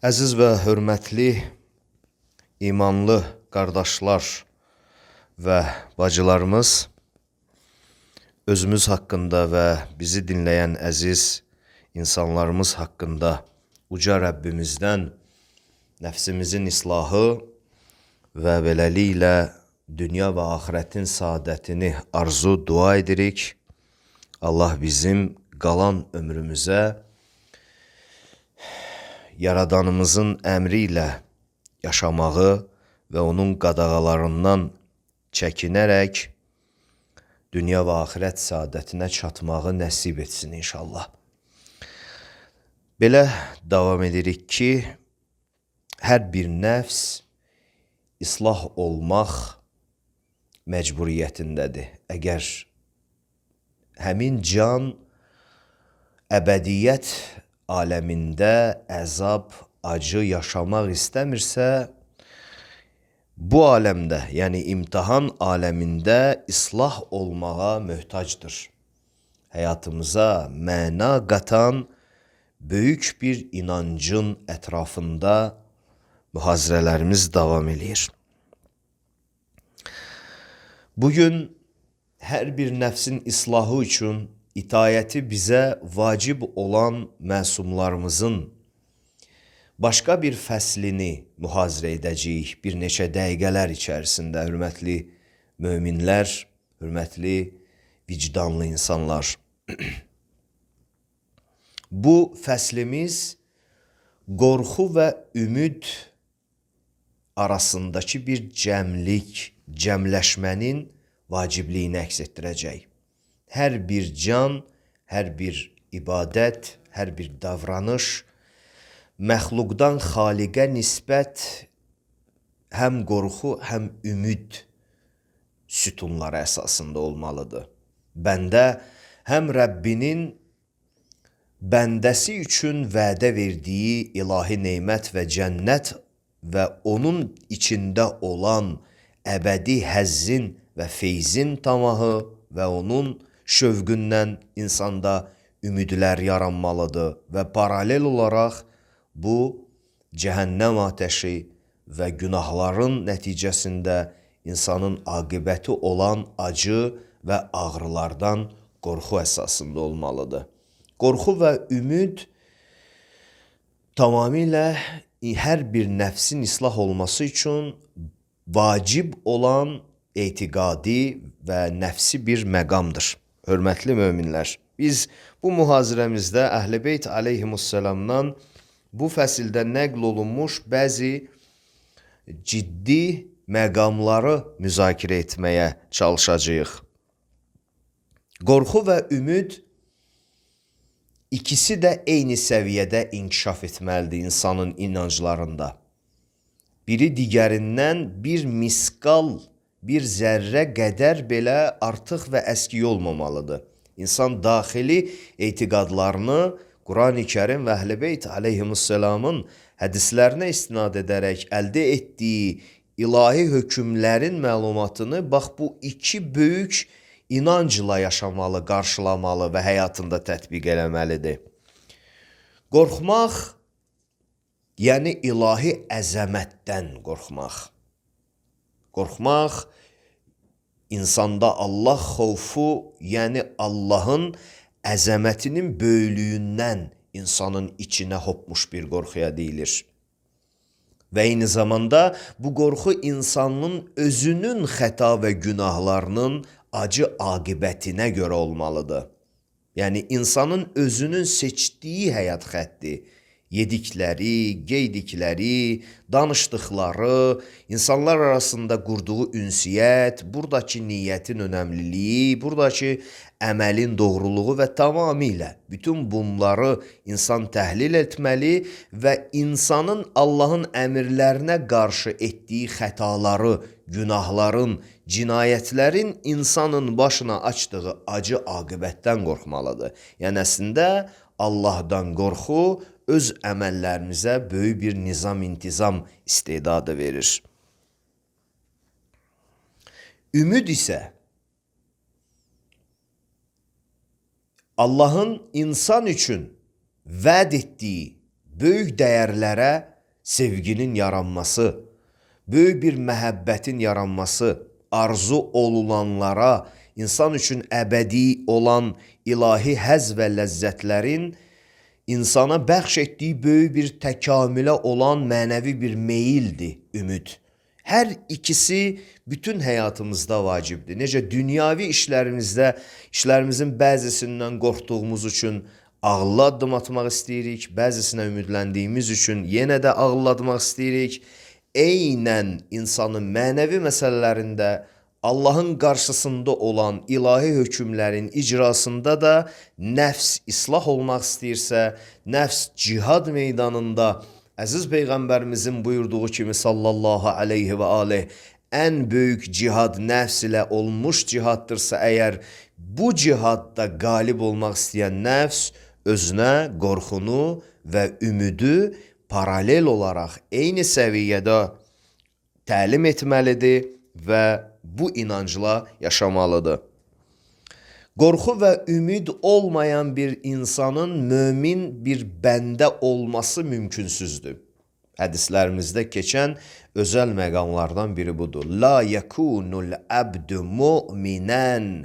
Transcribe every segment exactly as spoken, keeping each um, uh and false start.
Əziz və hörmətli imanlı qardaşlar və bacılarımız, özümüz haqqında və bizi dinləyən əziz insanlarımız haqqında uca Rəbbimizdən nəfsimizin islahı və beləliklə dünya və axirətin saadətini arzu dua edirik. Allah bizim qalan ömrümüzə Yaradanımızın əmri ilə yaşamağı və onun qadağalarından çəkinərək dünya və axirət saadətinə çatmağı nəsib etsin inşallah. Belə davam edirik ki, hər bir nəfs islah olmaq məcburiyyətindədir. Əgər həmin can əbədiyyət aləmində əzab, acı yaşamaq istəmirsə, bu aləmdə, yəni imtihan aləmində islah olmağa möhtacdır. Həyatımıza məna qatan böyük bir inancın ətrafında mühazirələrimiz davam edir. Bugün hər bir nəfsin islahı üçün itayəti bizə vacib olan məsumlarımızın başqa bir fəslini mühazirə edəcəyik bir neçə dəqiqələr içərisində, hörmətli möminlər, hörmətli vicdanlı insanlar. Bu fəslimiz qorxu və ümid arasındakı bir cəmlik, cəmləşmənin vacibliyini əks etdirəcək. Hər bir can, hər bir ibadət, hər bir davranış məxluqdan xaliqə nisbət həm qorxu, həm ümid sütunları əsasında olmalıdır. Bəndə həm Rəbbinin bəndəsi üçün vədə verdiyi ilahi neymət və cənnət və onun içində olan əbədi həzzin və feyzin tamahı və onun şövqündən insanda ümidlər yaranmalıdır və paralel olaraq bu cəhənnəm atəşi və günahların nəticəsində insanın aqibəti olan acı və ağrılardan qorxu əsasında olmalıdır. Qorxu və ümid tamamilə hər bir nəfsin islah olması üçün vacib olan etiqadi və nəfsi bir məqamdır. Hörmətli möminlər, biz bu mühazirəmizdə Əhl-i Beyt aleyhimussalamdan bu fəsildə nəql olunmuş bəzi ciddi məqamları müzakirə etməyə çalışacağıq. Qorxu və ümid ikisi də eyni səviyyədə inkişaf etməlidir insanın inanclarında. Biri digərindən bir miskal, bir zərrə qədər belə artıq və əski olmamalıdır. İnsan daxili etiqadlarını Quran-ı Kərim və Əhl-i Beyt aleyhimussalamın hədislərinə istinad edərək əldə etdiyi ilahi hökmlərin məlumatını bax bu iki böyük inancla yaşamalı, qarşılamalı və həyatında tətbiq eləməlidir. Qorxmaq, yəni ilahi əzəmətdən qorxmaq. Qorxmaq, insanda Allah xovfu, yəni Allahın əzəmətinin böyüklüyündən insanın içinə hopmuş bir qorxuya deyilir. Və eyni zamanda bu qorxu insanın özünün xəta və günahlarının acı aqibətinə görə olmalıdır. Yəni insanın özünün seçdiyi həyat xətti, yedikləri, geydikləri, danışdıqları, insanlar arasında qurduğu ünsiyyət, buradakı niyyətin önəmliliyi, buradakı əməlin doğruluğu və tamamilə bütün bunları insan təhlil etməli və insanın Allahın əmrlərinə qarşı etdiyi xətaları, günahların, cinayətlərin insanın başına açdığı acı aqibətdən qorxmalıdır. Yəni əslində Allahdan qorxu öz əməllərimizə böyük bir nizam-intizam istedadı verir. Ümid isə Allahın insan üçün vəd etdiyi böyük dəyərlərə sevginin yaranması, böyük bir məhəbbətin yaranması, arzu olulanlara, insan üçün əbədi olan ilahi həzz və ləzzətlərin insana bəxş etdiyi böyük bir təkamülə olan mənəvi bir meyildir ümid. Hər ikisi bütün həyatımızda vacibdir. Necə dünyavi işlərimizdə, işlərimizin bəzisindən qorxduğumuz üçün ağıllı addım atmaq istəyirik, bəzisinə ümidləndiyimiz üçün yenə də ağıllı atmaq istəyirik. Eynən insanın mənəvi məsələlərində Allahın qarşısında olan ilahi hökmlərin icrasında da nəfs islah olmaq istəyirsə, nəfs cihad meydanında əziz Peyğəmbərimizin buyurduğu kimi sallallahu aleyhi və aleyh ən böyük cihad nəfs ilə olmuş cihaddırsa əgər bu cihadda qalib olmaq istəyən nəfs özünə qorxunu və ümidi paralel olaraq eyni səviyyədə təlim etməlidir və bu inancla yaşamalıdır. Qorxu və ümid olmayan bir insanın mömin bir bəndə olması mümkünsüzdür. Hədislərimizdə keçən özəl məqamlardan biri budur. La yekunul abdu mu'minən.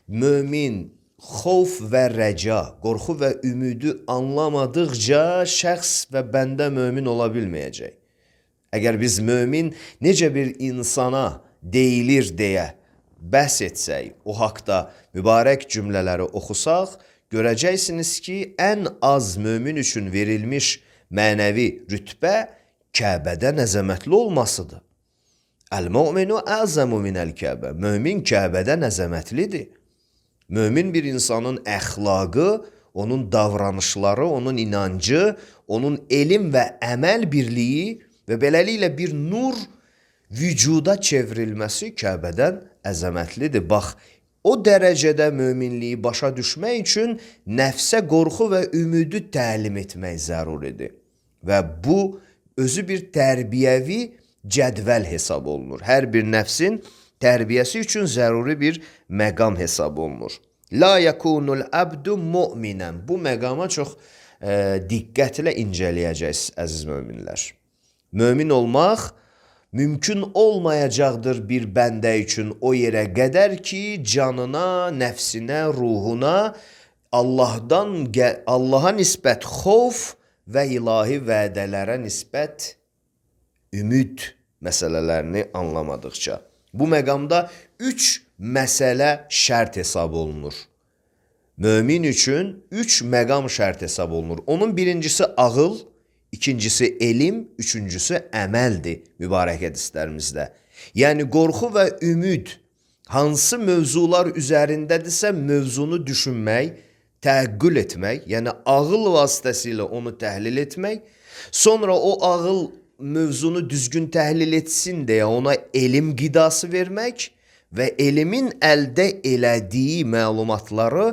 Mömin xof və rəca, qorxu və ümidi anlamadıqca şəxs və bəndə mömin ola bilməyəcək. Əgər biz mömin necə bir insana deyilir deyə bəhs etsək, o haqda mübarək cümlələri oxusaq, görəcəksiniz ki, ən az mömin üçün verilmiş mənəvi rütbə Kəbədən əzəmətli olmasıdır. Əl-mu'minu əzəmu minəl-Kəbə. Mömin Kəbədən əzəmətlidir. Mömin bir insanın əxlaqı, onun davranışları, onun inancı, onun elm və əməl birliyi və beləliklə bir nur vücuda çevrilməsi Kəbədən əzəmətlidir. Bax, o dərəcədə möminliyi başa düşmək üçün nəfsə qorxu və ümidi təlim etmək zəruridir. Və bu, özü bir tərbiyəvi cədvəl hesab olunur. Hər bir nəfsin tərbiyəsi üçün zəruri bir məqam hesab olunur. La yekunul abdu mu'minən. Bu məqama çox e, diqqətlə incələyəcəksiniz, əziz möminlər. Mömin olmaq mümkün olmayacaqdır bir bəndə üçün o yerə qədər ki, canına, nəfsinə, ruhuna Allahdan, Allaha nisbət xof və ilahi vədələrə nisbət ümid məsələlərini anlamadıqca. Bu məqamda üç məsələ şərt hesab olunur. Mömin üçün üç məqam şərt hesab olunur. Onun birincisi ağıl, ikincisi elm, üçüncüsü əməldir mübarək hədislərimizdə. Yəni qorxu və ümid hansı mövzular üzərindədirsə mövzunu düşünmək, təəqqül etmək, yəni ağıl vasitəsilə onu təhlil etmək, sonra o ağıl mövzunu düzgün təhlil etsin deyə ona elm qidası vermək və elmin əldə elədiyi məlumatları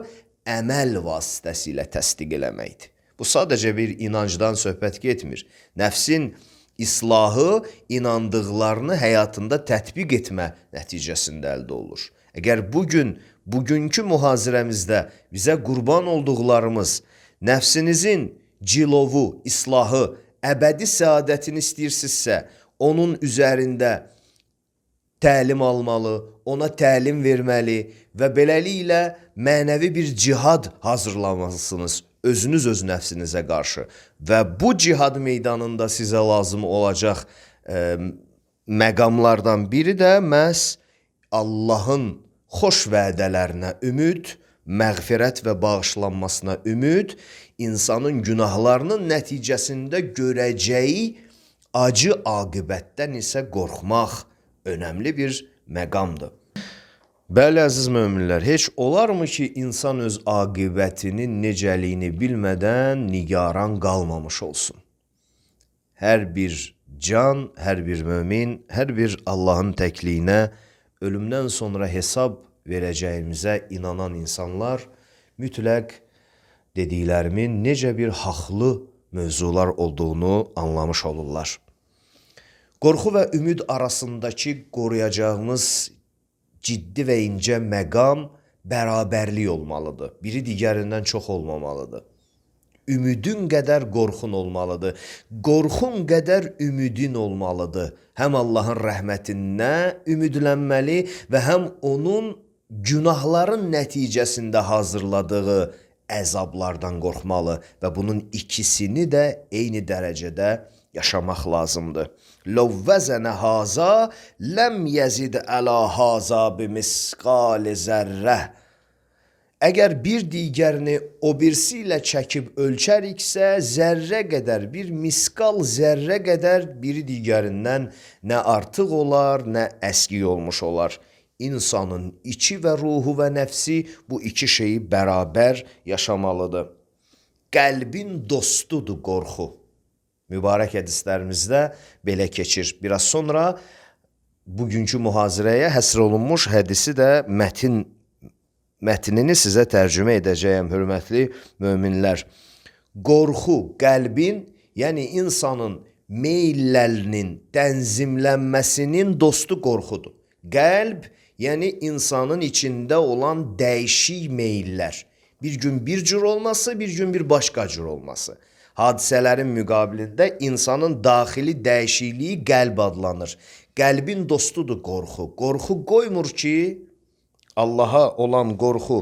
əməl vasitəsilə təsdiq eləməkdir. Bu sadəcə bir inancdan söhbət getmir. Nəfsin islahı inandıqlarını həyatında tətbiq etmə nəticəsində əldə olur. Əgər bugün, bugünkü mühazirəmizdə bizə qurban olduqlarımız nəfsinizin cilovu, islahı, əbədi səadətini istəyirsinizsə, onun üzərində təlim almalı, ona təlim verməli və beləliklə mənəvi bir cihad hazırlamalısınız özünüz öz nəfsinizə qarşı. Və bu cihad meydanında sizə lazım olacaq e, məqamlardan biri də məhz Allahın xoş vədələrinə ümid, məğfirət və bağışlanmasına ümid, insanın günahlarının nəticəsində görəcəyi acı aqibətdən isə qorxmaq önəmli bir məqamdır. Bəli, əziz möminlər, heç olarmı ki, insan öz aqibətinin necəliyini bilmədən nigaran qalmamış olsun? Hər bir can, hər bir mömin, hər bir Allahın təkliyinə ölümdən sonra hesab verəcəyimizə inanan insanlar mütləq dediklərimin necə bir haqlı mövzular olduğunu anlamış olurlar. Qorxu və ümid arasındakı qoruyacağımız ciddi və incə məqam bərabərlik olmalıdır. Biri digərindən çox olmamalıdır. ümidin qədər qorxun olmalıdır. Qorxun qədər ümidin olmalıdır. Həm Allahın rəhmətindən ümidlənməli və həm onun günahların nəticəsində hazırladığı əzablardan qorxmalı və bunun ikisini də eyni dərəcədə yaşamaq lazımdır. Ləv vəzənə haza ləm yəzid əla haza bimisqal zərrə. Əgər bir digərini o birisi ilə çəkib ölçəriksə, zərrə qədər, bir miskal zərrə qədər biri digərindən nə artıq olar, nə əskik olmuş olar. İnsanın içi və ruhu və nəfsi bu iki şeyi bərabər yaşamalıdır. Qəlbin dostudur qorxu. Mübarək hədislərimizdə belə keçir. Biraz sonra bugünkü mühazirəyə həsr olunmuş hədisi də mətin mətnini sizə tərcümə edəcəyəm, hörmətli möminlər. Qorxu qəlbin, yəni insanın meyllərinin tənzimlənməsinin dostu qorxudur. Qəlb, yəni insanın içində olan dəyişik meyllər. Bir gün bir cür olması, bir gün bir başqa cür olması. Hadisələrin müqabilində insanın daxili dəyişikliyi qəlb adlanır. Qəlbin dostudur qorxu. Qorxu qoymur ki, Allaha olan qorxu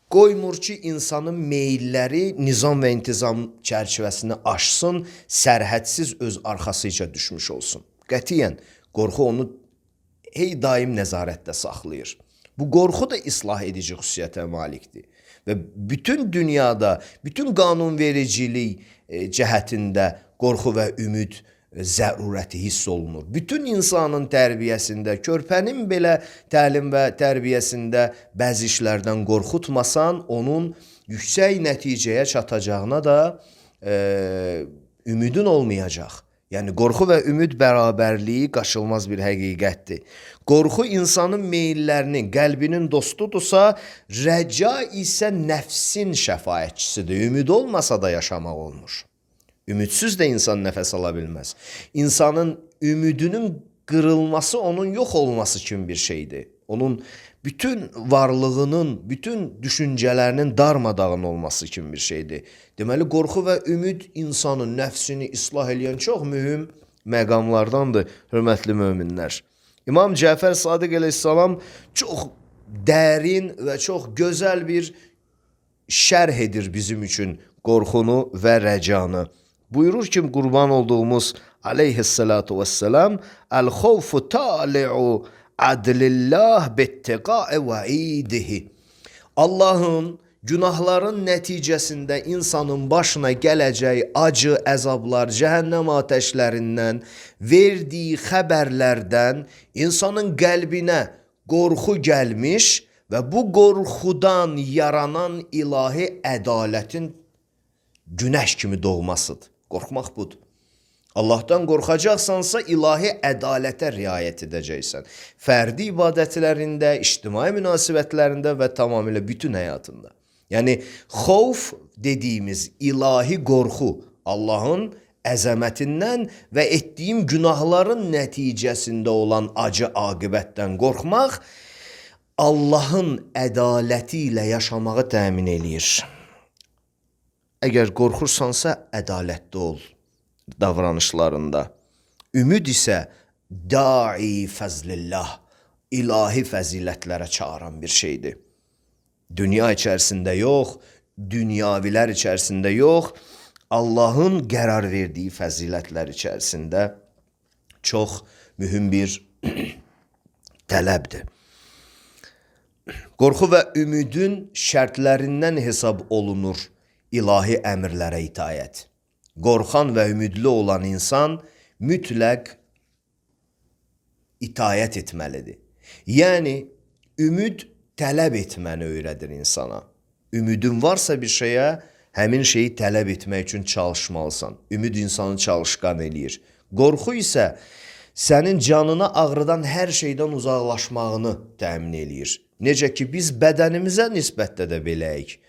qoymur ki, insanın meylləri nizam və intizam çərçivəsini aşsın, sərhədsiz öz arxasıca düşmüş olsun. Qətiyyən, qorxu onu hey daim nəzarətdə saxlayır. Bu qorxu da islah edici xüsusiyyətə malikdir. Və bütün dünyada, bütün qanunvericilik cəhətində qorxu və ümid zərurəti hiss olunur. Bütün insanın tərbiyəsində, körpənin belə təlim və tərbiyəsində bəzi işlərdən qorxutmasan, onun yüksək nəticəyə çatacağına da e, ümidin olmayacaq. Yəni, qorxu və ümid bərabərliyi qaçılmaz bir həqiqətdir. Qorxu insanın meyllərinin, qəlbinin dostudursa, rəca isə nəfsin şəfaətçisidir. Ümid olmasa da yaşamaq olmur. Ümidsiz də insan nəfəs ala bilməz. İnsanın ümidinin qırılması onun yox olması kimi bir şeydir. Onun bütün varlığının, bütün düşüncələrinin darmadağın olması kimi bir şeydir. Deməli, qorxu və ümid insanın nəfsini islah edən çox mühüm məqamlardandır, hörmətli möminlər. İmam Cəfər Sadiq əleyhissalam çox dərin və çox gözəl bir şərh edir bizim üçün qorxunu və rəcanı. Buyurur ki, qurban olduğumuz aleyhissalatu vesselam, el-xawfu tali'u adlillah bittiqa'i va'idihi. Allahın günahların nəticəsində insanın başına gələcək acı, əzablar, cəhənnəm atəşlərindən, verdiyi xəbərlərdən insanın qəlbinə qorxu gəlmiş və bu qorxudan yaranan ilahi ədalətin günəş kimi doğmasıdır. Qorxmaq budur. Allahdan qorxacaqsansa ilahi ədalətə riayət edəcəksən. Fərdi ibadətlərində, ictimai münasibətlərində və tamamilə bütün həyatında. Yəni, xovf dediyimiz ilahi qorxu, Allahın əzəmətindən və etdiyim günahların nəticəsində olan acı aqibətdən qorxmaq, Allahın ədaləti ilə yaşamağı təmin eləyir. Əgər qorxursansa, ədalətli ol davranışlarında. Ümid isə da'i fəzlillah, ilahi fəzilətlərə çağıran bir şeydir. Dünya içərisində yox, dünyavilər içərisində yox, Allahın qərar verdiyi fəzilətlər içərisində çox mühüm bir tələbdir. Qorxu və ümidin şərtlərindən hesab olunur ilahi əmrlərə itayət. Qorxan və ümidli olan insan mütləq itayət etməlidir. Yəni, ümid tələb etməni öyrədir insana. Ümidin varsa bir şeyə, həmin şeyi tələb etmək üçün çalışmalısan. Ümid insanı çalışqan eləyir. Qorxu isə sənin canına ağrıdan hər şeydən uzaqlaşmağını təmin eləyir. Necə ki, biz bədənimizə nisbətdə də beləyik.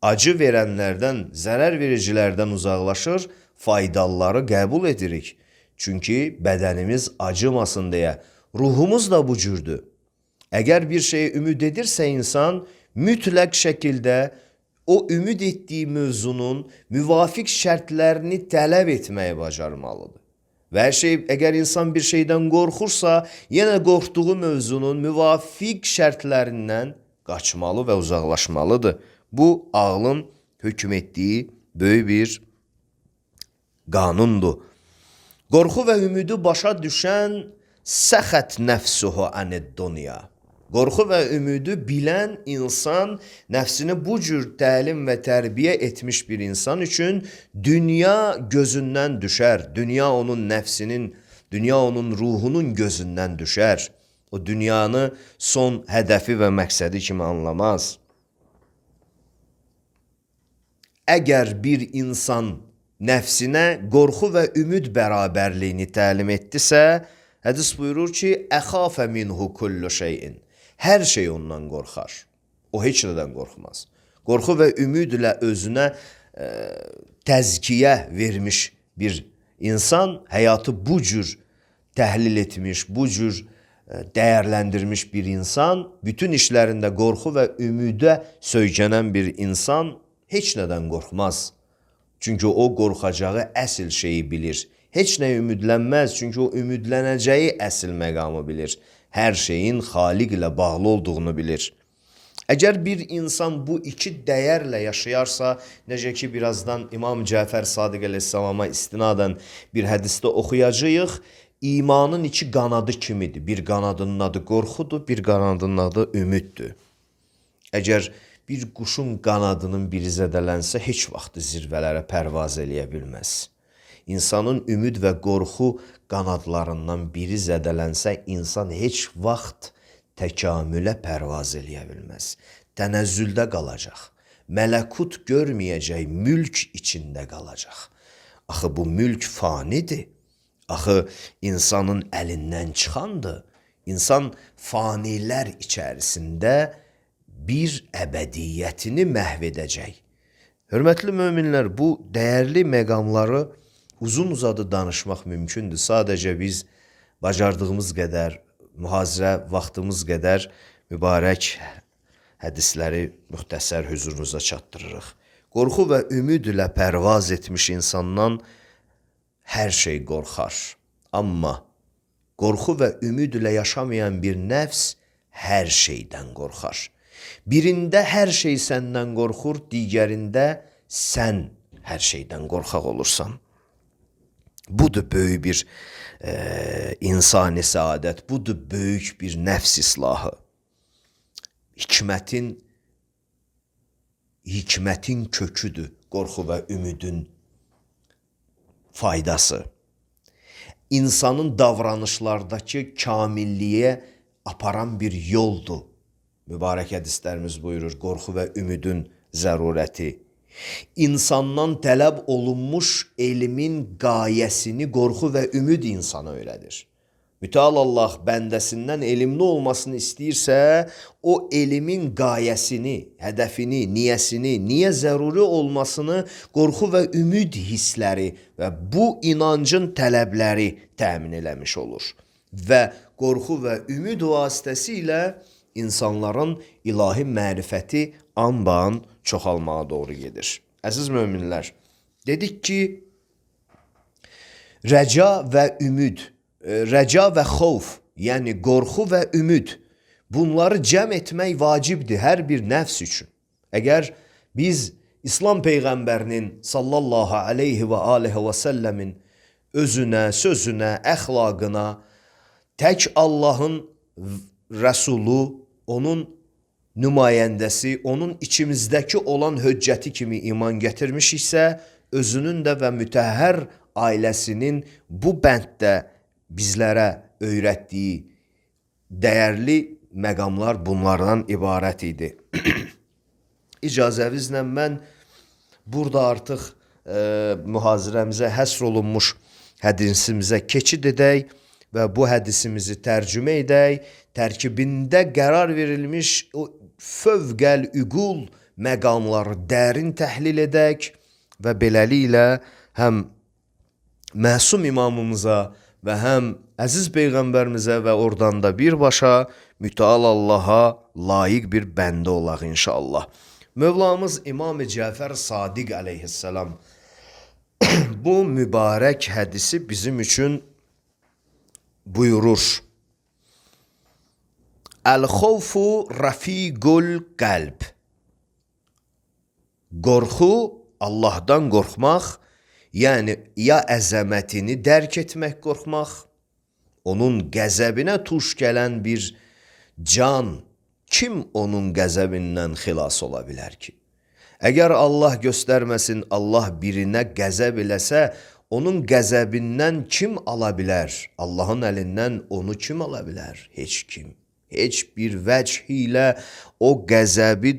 Acı verənlərdən, zərər vericilərdən uzaqlaşır, faydalıları qəbul edirik. Çünki bədənimiz acımasın deyə. Ruhumuz da bu cürdür. Əgər bir şeyə ümid edirsə insan, mütləq şəkildə o ümid etdiyi mövzunun müvafiq şərtlərini tələb etməyi bacarmalıdır. Və hər şey, əgər insan bir şeydən qorxursa, yenə qorxduğu mövzunun müvafiq şərtlərindən qaçmalı və uzaqlaşmalıdır. Bu, ağlın hökm etdiyi böyük bir qanundur. Qorxu və ümidi başa düşən səxət nəfsuhu anid-dunya. Qorxu və ümidi bilən insan nəfsini bu cür təlim və tərbiyə etmiş bir insan üçün dünya gözündən düşər. Dünya onun nəfsinin, dünya onun ruhunun gözündən düşər. O dünyanı son hədəfi və məqsədi kimi anlamaz. Əgər bir insan nəfsinə qorxu və ümid bərabərliyini təlim etdisə, hədis buyurur ki, əxafə minhu kullu şeyin. Hər şey ondan qorxar. O heç nədən qorxmaz. Qorxu və ümidlə özünə e, təzkiyə vermiş bir insan həyatı bu cür təhlil etmiş, bu cür e, dəyərləndirmiş bir insan, bütün işlərində qorxu və ümidə söykənən bir insan heç nədən qorxmaz. Çünki o qorxacağı əsl şeyi bilir. Heç nə ümidlənməz, çünki o ümidlənəcəyi əsl məqamı bilir. Hər şeyin Xaliq ilə bağlı olduğunu bilir. Əgər bir insan bu iki dəyərlə yaşayarsa, necə ki, birazdan İmam Cəfər Sadiq əleyhissalama istinadən bir hədisdə oxuyacağıq, imanın iki qanadı kimidir. Bir qanadının adı qorxudur, bir qanadının adı ümiddir. Əgər bir quşun qanadının biri zədələnsə, heç vaxt zirvələrə pərvaz eləyə bilməz. İnsanın ümid və qorxu qanadlarından biri zədələnsə, insan heç vaxt təkamülə pərvaz eləyə bilməz. Tənəzzüldə qalacaq. Mələkut görməyəcək, mülk içində qalacaq. Axı bu mülk fanidir. Axı insanın əlindən çıxandır. İnsan fanilər içərisində bir əbədiyyətini məhv edəcək. Hörmətli möminlər, bu dəyərli məqamları uzun uzadı danışmaq mümkündür. Sadəcə biz bacardığımız qədər, mühazirə vaxtımız qədər mübarək hədisləri müxtəsər hüzurunuza çatdırırıq. Qorxu və ümid ilə pərvaz etmiş insandan hər şey qorxar. Amma qorxu və ümid ilə yaşamayan bir nəfs hər şeydən qorxar. Birində hər şey səndən qorxur, digərində sən hər şeydən qorxaq olursan. Budur böyük bir e, insani səadət, budur böyük bir nəfs islahı. Hikmətin, hikmətin köküdür qorxu və ümidin faydası. İnsanın davranışlardakı kamilliyə aparan bir yoldur. Mübarək hədislərimiz buyurur, qorxu və ümidin zərurəti. İnsandan tələb olunmuş elmin qayəsini qorxu və ümid insana öyrədir. Mütəal Allah bəndəsindən elmli olmasını istəyirsə, o elmin qayəsini, hədəfini, niyəsini, niyə zəruri olmasını qorxu və ümid hissləri və bu inancın tələbləri təmin eləmiş olur. Və qorxu və ümid vasitəsilə insanların ilahi mərifəti anban çoxalmağa doğru gedir. Əziz möminlər, dedik ki, rəca və ümid, rəca və xovf, yəni qorxu və ümid, bunları cəm etmək vacibdir hər bir nəfs üçün. Əgər biz İslam Peyğəmbərinin sallallahu aleyhi və aleyhi və səlləmin özünə, sözünə, əxlaqına, tək Allahın Rəsulu, onun nümayəndəsi, onun içimizdəki olan höccəti kimi iman gətirmişiksə, özünün də və mütəhhər ailəsinin bu bənddə bizlərə öyrətdiyi dəyərli məqamlar bunlardan ibarət idi. İcazəvizlə mən burada artıq e, mühazirəmizə həsr olunmuş hədisimizə keçid edək və bu hədisimizi tərcümə edək, tərkibində qərar verilmiş o fövqəl üqul məqamları dərin təhlil edək və beləliklə həm məsum imamımıza və həm əziz Peyğəmbərimizə və oradan da birbaşa mütəal Allaha layiq bir bəndə olaq inşallah. Mövlamız İmam-ı Cəfər Sadiq əleyhissalam bu mübarək hədisi bizim üçün buyurur. Əl-xovfu rafiqul qəlb. Qorxu, Allahdan qorxmaq, yəni ya əzəmətini dərk etmək qorxmaq, onun qəzəbinə tuş gələn bir can, kim onun qəzəbindən xilas ola bilər ki? Əgər Allah göstərməsin, Allah birinə qəzəb eləsə, onun qəzəbindən kim ala bilər? Allahın əlindən onu kim ala bilər? Heç kim. Heç bir vəcih ilə o qəzəbi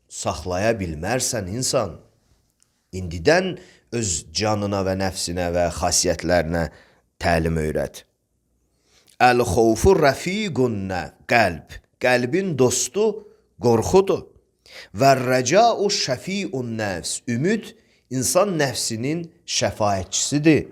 saxlaya bilmərsən insan. İndidən öz canına və nəfsinə və xasiyyətlərinə təlim öyrət. Əl-xovfu rəfiqunə qəlb. Qəlbin dostu qorxudur. Və rəcau şəfiun nəfs. Ümid insan nəfsinin şəfaətçisidir.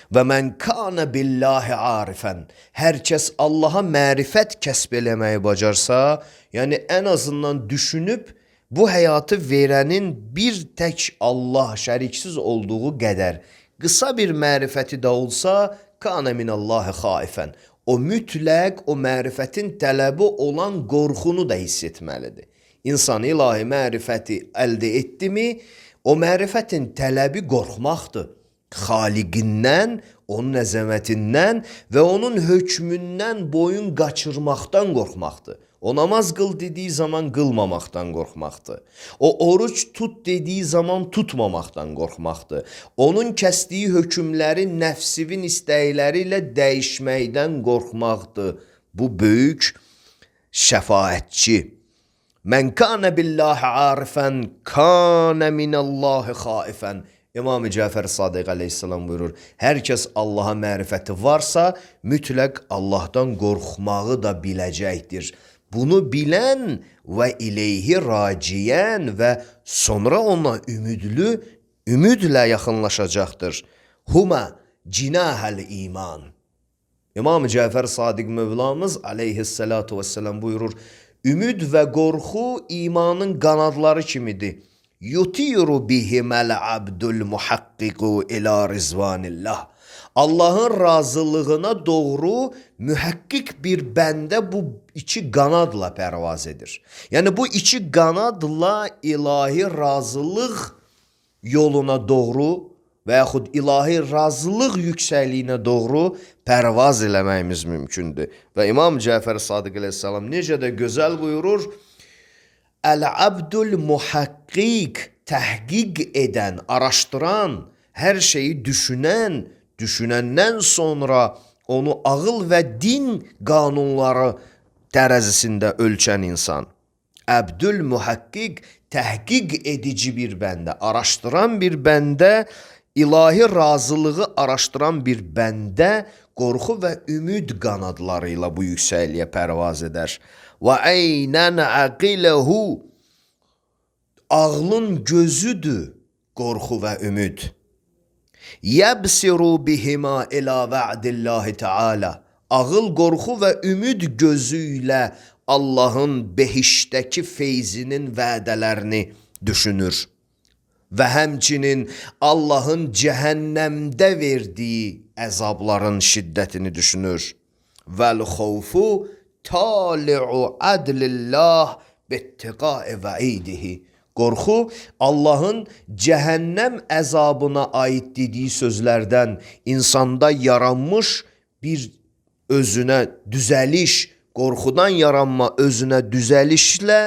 Və mən kana billahi arifən. Hər kəs Allaha mərifət kəsb eləməyi bacarsa, yəni ən azından düşünüb bu həyatı verənin bir tək Allah şəriksiz olduğu qədər qısa bir mərifəti də olsa, kana minallahi xaifən. O mütləq o mərifətin tələbi olan qorxunu da hiss etməlidir. İnsan ilahi mərifəti əldə etdimi, o mərifətin tələbi qorxmaqdır. Xaliqindən, onun əzəmətindən və onun hökmündən boyun qaçırmaqdan qorxmaqdır. O namaz qıl dediyi zaman qılmamaqdan qorxmaqdır. O oruç tut dediyi zaman tutmamaqdan qorxmaqdır. Onun kəsdiyi hökmləri nəfsivin istəkləri ilə dəyişməkdən qorxmaqdır. Bu böyük şəfaətçi. Mən kana billahi arifən, kana minallahi xaifən. İmam-ı Cəfər Sadiq əleyhissalam buyurur, hər kəs Allaha mərifəti varsa, mütləq Allahdan qorxmağı da biləcəkdir. Bunu bilən və ileyhi raciyən və sonra ona ümidli, ümidlə yaxınlaşacaqdır. Huma cinahəl iman. İmam-ı Cəfər Sadiq Mövlamız aleyhissalatu vesselam buyurur, ümid və qorxu imanın qanadları kimidir. Yutiru bihiməl abdul muhaqqiqu ila rizvanillah. Allahın razılığına doğru mühəkkik bir bəndə bu iki qanadla pərvaz edir. Yəni bu iki qanadla ilahi razılıq yoluna doğru və yaxud ilahi razılıq yüksəkliyinə doğru pərvaz eləməyimiz mümkündür. Və İmam Cəfər Sadiq əleyhissalam necə də gözəl buyurur, Əl-abdul muhaqqiq, təhqiq edən, araşdıran, hər şeyi düşünən, düşünəndən sonra onu ağıl və din qanunları tərəzisində ölçən insan. Əbdül muhaqqiq, təhqiq edici bir bəndə, araşdıran bir bəndə, ilahi razılığı araşdıran bir bəndə qorxu və ümid qanadları ilə bu yüksəkliyə pərvaz edər. Və əynən əqiləhu, ağlın gözüdür qorxu və ümid. Yəbsiru bihima ilə və'dillahi teala. Ağıl, qorxu və ümid gözü ilə Allahın behiştəki feyzinin vədələrini düşünür. Və həmçinin Allahın cəhənnəmdə verdiyi əzabların şiddətini düşünür. Vəl-xovfu tali'u adlillah bittiqai vəidihi. Qorxu Allahın cəhənnəm əzabına aid dediyi sözlərdən insanda yaranmış bir özünə düzəliş, qorxudan yaranma özünə düzəlişlə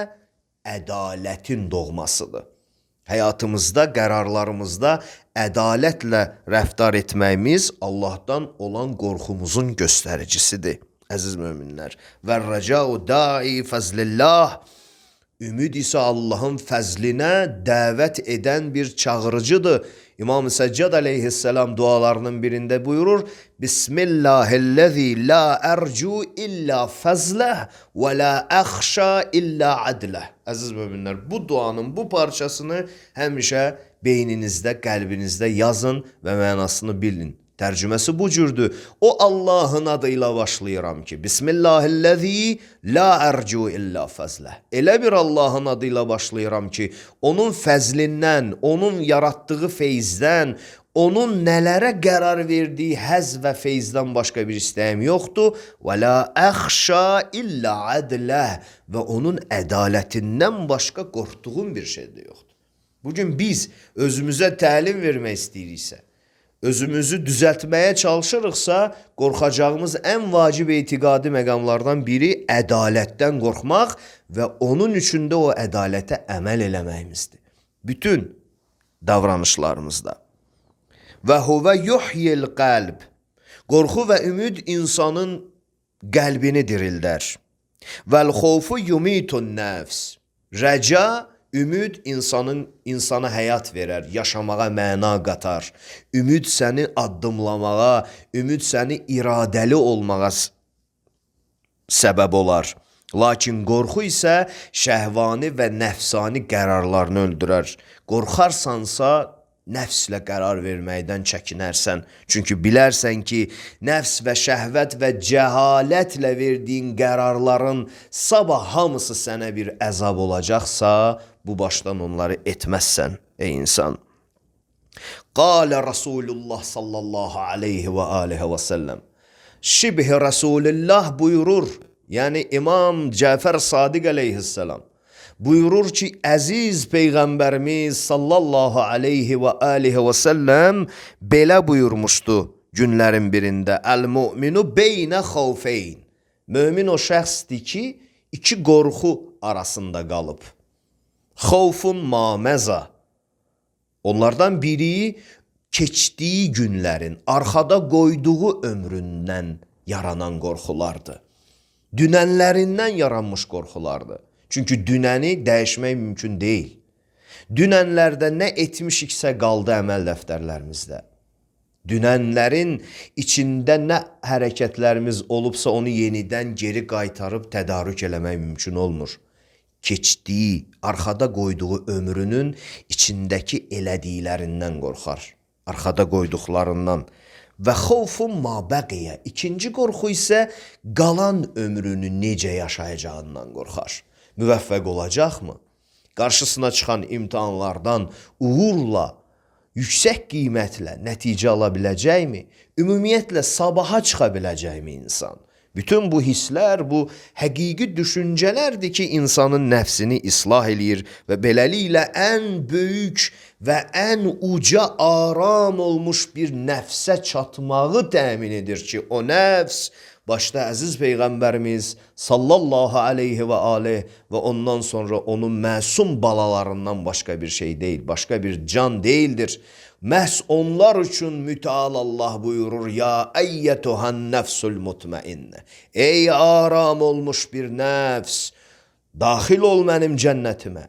ədalətin doğmasıdır. Həyatımızda, qərarlarımızda ədalətlə rəftar etməyimiz Allahdan olan qorxumuzun göstəricisidir. Əziz möminlər, və rəcau da'i fəzlillah, ümid isə Allahın fəzlinə dəvət edən bir çağırıcıdır. İmam-ı Səccad aleyhisselam dualarının birində buyurur, Bismillahillezî la ercu illa fəzləh və la əxşa illa adləh. Əziz möminlər, bu duanın bu parçasını həmişə beyninizdə, qəlbinizdə yazın və mənasını bilin. Tərcüməsi bu cürdür. O Allahın adıyla başlayıram ki, Bismillahillezî la ercu illa fəzləh. Elə bir Allahın adıyla başlayıram ki, onun fəzlindən, onun yaratdığı feyzdən, onun nələrə qərar verdiyi həz və feyzdən başqa bir istəyim yoxdur. Və la əxşa illa adləh. Və onun ədalətindən başqa qorxduğum bir şey də yoxdur. Bugün biz özümüzə təlim vermək istəyiriksə, özümüzü düzəltməyə çalışırıqsa, qorxacağımız ən vacib etiqadi məqamlardan biri ədalətdən qorxmaq və onun üçün də o ədalətə əməl eləməyimizdir. Bütün davranışlarımızda. Və huvə yuhyil qəlb. Qorxu və ümid insanın qəlbini dirildər. Vəl xofu yumitun nəfs. Rəca, ümid insanın insana həyat verər, yaşamağa məna qatar. Ümid səni addımlamağa, ümid səni iradəli olmağa səbəb olar. Lakin qorxu isə şəhvani və nəfsani qərarlarını öldürər. Qorxarsansa nəfslə qərar verməkdən çəkinərsən. Çünki bilərsən ki, nəfs və şəhvət və cəhalətlə verdiyin qərarların sabah hamısı sənə bir əzab olacaqsa, bu başdan onları etməzsən ey insan. Qalə Rasulullah sallallahu aleyhi və aleyhi və səlləm. Şibhi Rasulullah buyurur, yəni İmam Cəfər Sadiq aleyhisselam buyurur ki, əziz Peyğəmbərimiz sallallahu aleyhi və aleyhi və səlləm belə buyurmuşdu günlərin birində. Əl-mu'minu beynə xavfeyn. Mömin o şəxsdir ki, iki qorxu arasında qalıb. Xavfun maməza. Onlardan biri keçdiyi günlərin, arxada qoyduğu ömründən yaranan qorxulardır. Dünənlərindən yaranmış qorxulardır. Çünki dünəni dəyişmək mümkün deyil. Dünənlərdə nə etmişiksə qaldı əməl dəftərlərimizdə. Dünənlərin içində nə hərəkətlərimiz olubsa onu yenidən geri qaytarıb tədarük eləmək mümkün olmur. Keçdiyi, arxada qoyduğu ömrünün içindəki elədiklərindən qorxar. Arxada qoyduqlarından. Və xavfun mabəqiyə. İkinci qorxu isə qalan ömrünü necə yaşayacağından qorxar. Müvəffəq olacaqmı? Qarşısına çıxan imtahanlardan uğurla, yüksək qiymətlə nəticə ala biləcəkmi? Ümumiyyətlə sabaha çıxa biləcəkmi insan? Bütün bu hisslər, bu həqiqi düşüncələrdir ki, insanın nəfsini islah eləyir və beləliklə ən böyük və ən uca aram olmuş bir nəfsə çatmağı təmin edir ki, o nəfs başda əziz Peyğəmbərimiz sallallahu aleyhi və aleyh və ondan sonra onun məsum balalarından başqa bir şey deyil, başqa bir can deyildir. Məhz onlar üçün mütəal Allah buyurur, ya əyyətuhan nəfsul mutmainnə. Ey aram olmuş bir nəfs, daxil ol mənim cənnətimə.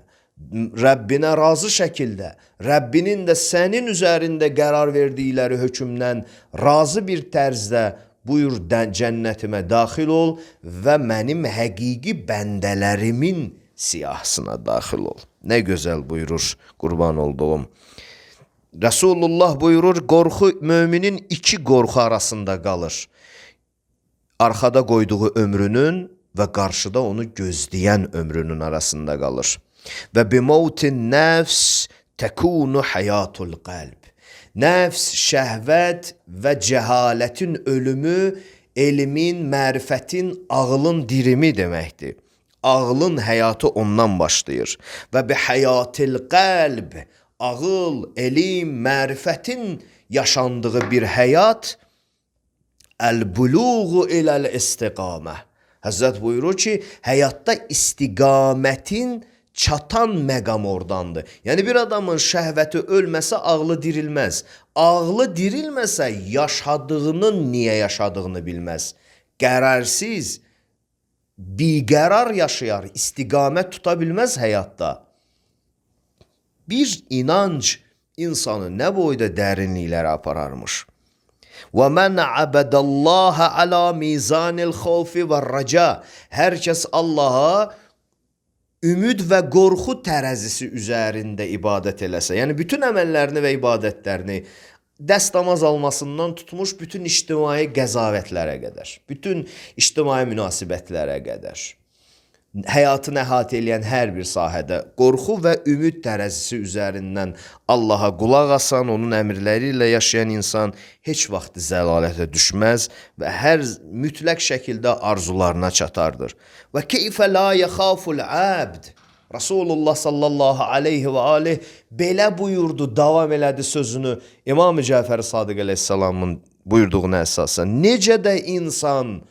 Rəbbinə razı şəkildə, Rəbbinin də sənin üzərində qərar verdikləri hökmdən razı bir tərzdə buyur cənnətimə daxil ol və mənim həqiqi bəndələrimin siyahısına daxil ol. Nə gözəl buyurur, qurban olduğum. Resulullah buyurur, qorxu müminin iki qorxu arasında qalır. Arxada qoyduğu ömrünün və qarşıda onu gözləyən ömrünün arasında qalır. Və bimautin nəfs təkunu həyatul qəlb. Nəfs, şəhvət və cəhalətin ölümü, elmin, mərifətin, ağlın dirimi deməkdir. Ağlın həyatı ondan başlayır. Və bi həyatil qəlb, ağıl, elm, mərifətin yaşandığı bir həyat, əl-buluğu iləl-istiqamə. Həzrət buyurur ki, həyatda istiqamətin çatan məqam oradandır. Yəni bir adamın şəhvəti ölməsə ağlı dirilməz. Ağlı dirilməsə yaşadığının niyə yaşadığını bilməz. Qərarsız, biqərar yaşayar, istiqamət tuta bilməz həyatda. Bir inanc insanı nə boyda dərinliklərə apararmış. وَمَنْ عَبَدَ اللّٰهَ عَلَى مِيزَانِ الْخَوْفِ وَالرَّجَى. Hər kəs Allaha ümid və qorxu tərəzisi üzərində ibadət eləsə, yəni bütün əməllərini və ibadətlərini dəstəmaz almasından tutmuş bütün ictimai qəzavətlərə qədər, bütün ictimai münasibətlərə qədər, həyatını əhatə edən hər bir sahədə qorxu və ümid tərəzisi üzərindən Allaha qulaq asan, onun əmrləri ilə yaşayan insan heç vaxt zəlalətə düşməz və hər mütləq şəkildə arzularına çatardır. Və keyfə la yaxaful abd. Rasulullah sallallahu aleyhi və aleyh belə buyurdu, davam elədi sözünü İmam-ı Cəfər Sadiq əleyhissalamın buyurduğuna əsasən. Necə də insan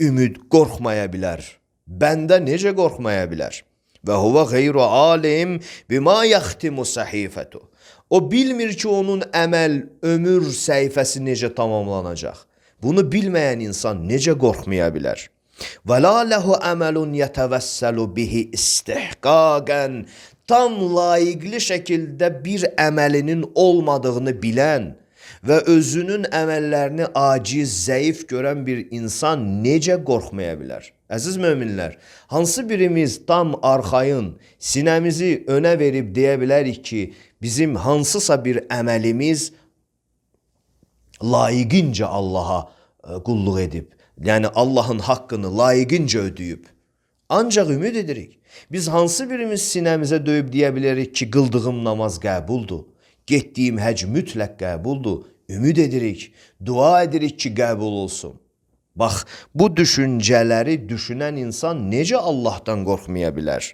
ümid qorxmaya bilər? Bəndə necə qorxmaya bilər? Və huvə qeyru alim bima yaxtimu səhifətu. O bilmir ki, onun əməl, ömür səhifəsi necə tamamlanacaq. Bunu bilməyən insan necə qorxmaya bilər? Və la ləhu əməlun yətəvəssəlu bihi istihqaqən. Tam layiqli şəkildə bir əməlinin olmadığını bilən və özünün əməllərini aciz, zəif görən bir insan necə qorxmaya bilər? Əziz möminlər, hansı birimiz tam arxayın, sinəmizi önə verib deyə bilərik ki, bizim hansısa bir əməlimiz layiqincə Allaha qulluq edib, yəni Allahın haqqını layiqincə ödəyib. Ancaq ümid edirik. Biz hansı birimiz sinəmizə döyüb deyə bilərik ki, qıldığım namaz qəbuldur, getdiyim həc mütləq qəbuldur, ümid edirik, dua edirik ki, qəbul olsun. Bax, bu düşüncələri düşünən insan necə Allahdan qorxmaya bilər?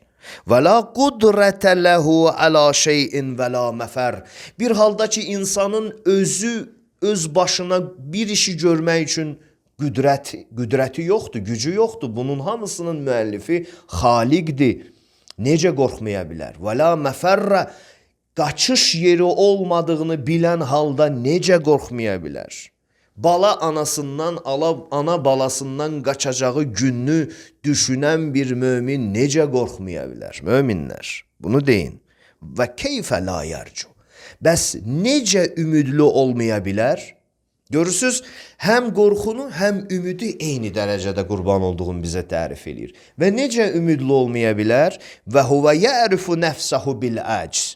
Və la qudrətə ləhu əla şeyin və la məfər. Bir halda ki, insanın özü, öz başına bir işi görmək üçün qüdrət, qüdrəti yoxdur, gücü yoxdur. Bunun hamısının müəllifi Xaliqdir. Necə qorxmaya bilər? Və la məfərrə. Qaçış yeri olmadığını bilən halda necə qorxmaya bilər? Bala anasından, ana balasından qaçacağı gününü düşünən bir mömin necə qorxmaya bilər? Möminlər, bunu deyin. Və keyfə la yarcu. Bəs necə ümidli olmaya bilər? Görürsüz, həm qorxunu, həm ümidi eyni dərəcədə qurban olduğunu bizə tərif edir. Və necə ümidli olmaya bilər? Və huvə yərifu nəfsəhu bil əcz.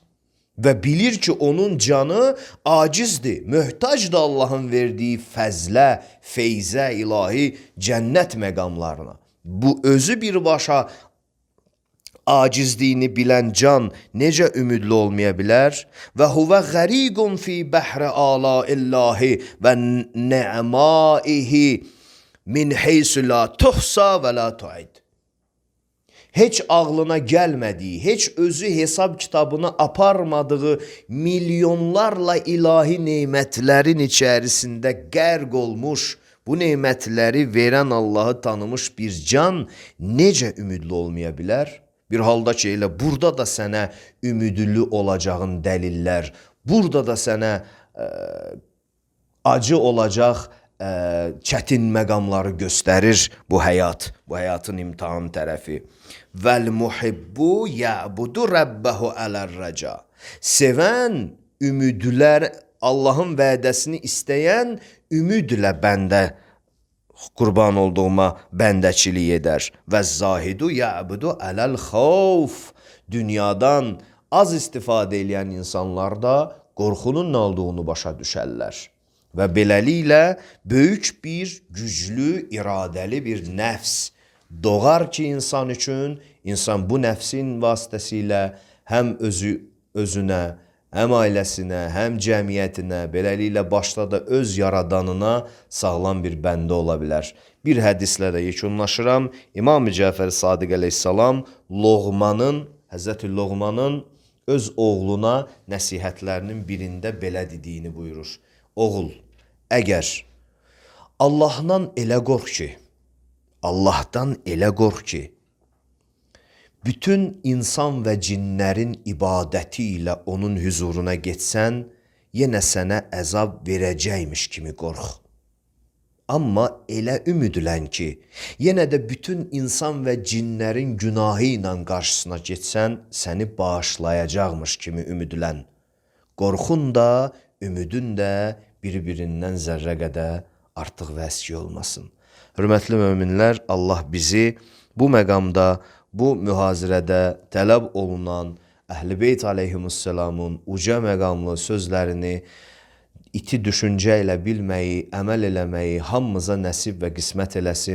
Və bilir ki, onun canı acizdir, möhtacdır Allahın verdiyi fəzlə, feyzə, ilahi cənnət məqamlarına. Bu özü birbaşa acizliyini bilən can necə ümidli olmaya bilər? Və huvə qəriqun fi bəhrə ala illahi və nə'maihi min heysu la tuhsa və la tu'id. Heç ağlına gəlmədiyi, heç özü hesab kitabını aparmadığı milyonlarla ilahi neymətlərin içərisində qərq olmuş, bu neymətləri verən Allahı tanımış bir can necə ümidli olmaya bilər? Bir halda ki, elə burada da sənə ümidli olacağın dəlillər, burada da sənə ə, acı olacaq ə, çətin məqamları göstərir bu həyat, bu həyatın imtihan tərəfi. Vəl muhibbu ya'budu rabbahu alar-raca. Sevən, ümidlər, Allahın vədəsini istəyən ümidlə bəndə qurban olduğuma bəndəçilik edər. Və zahidu ya'budu aləl-xavf. Dünyadan az istifadə edən insanlar da qorxunun nə olduğunu başa düşərlər. Və beləliklə böyük bir, güclü, iradəli bir nəfs doğar ki, insan üçün, insan bu nəfsin vasitəsilə həm özü, özünə, həm ailəsinə, həm cəmiyyətinə, beləliklə başda da öz yaradanına sağlam bir bəndə ola bilər. Bir hədislə də yekunlaşıram. İmam-ı Cəfər Sadiq əleyhissalam Loğmanın, Həzrəti Loğmanın öz oğluna nəsihətlərinin birində belə dediyini buyurur. Oğul, əgər Allahdan elə qorx ki, Allahdan elə qorx ki, bütün insan və cinlərin ibadəti ilə onun huzuruna getsən, yenə sənə əzab verəcəkmiş kimi qorx. Amma elə ümidlən ki, yenə də bütün insan və cinlərin günahı ilə qarşısına getsən, səni bağışlayacaqmış kimi ümidlən. Qorxun da, ümidin də bir-birindən zərrə qədər artıq və əski olmasın. Hörmətli möminlər, Allah bizi bu məqamda, bu mühazirədə tələb olunan Əhl-i Beyt aleyhimussalamın uca məqamlı sözlərini iti düşüncə ilə bilməyi, əməl eləməyi hamımıza nəsib və qismət eləsin.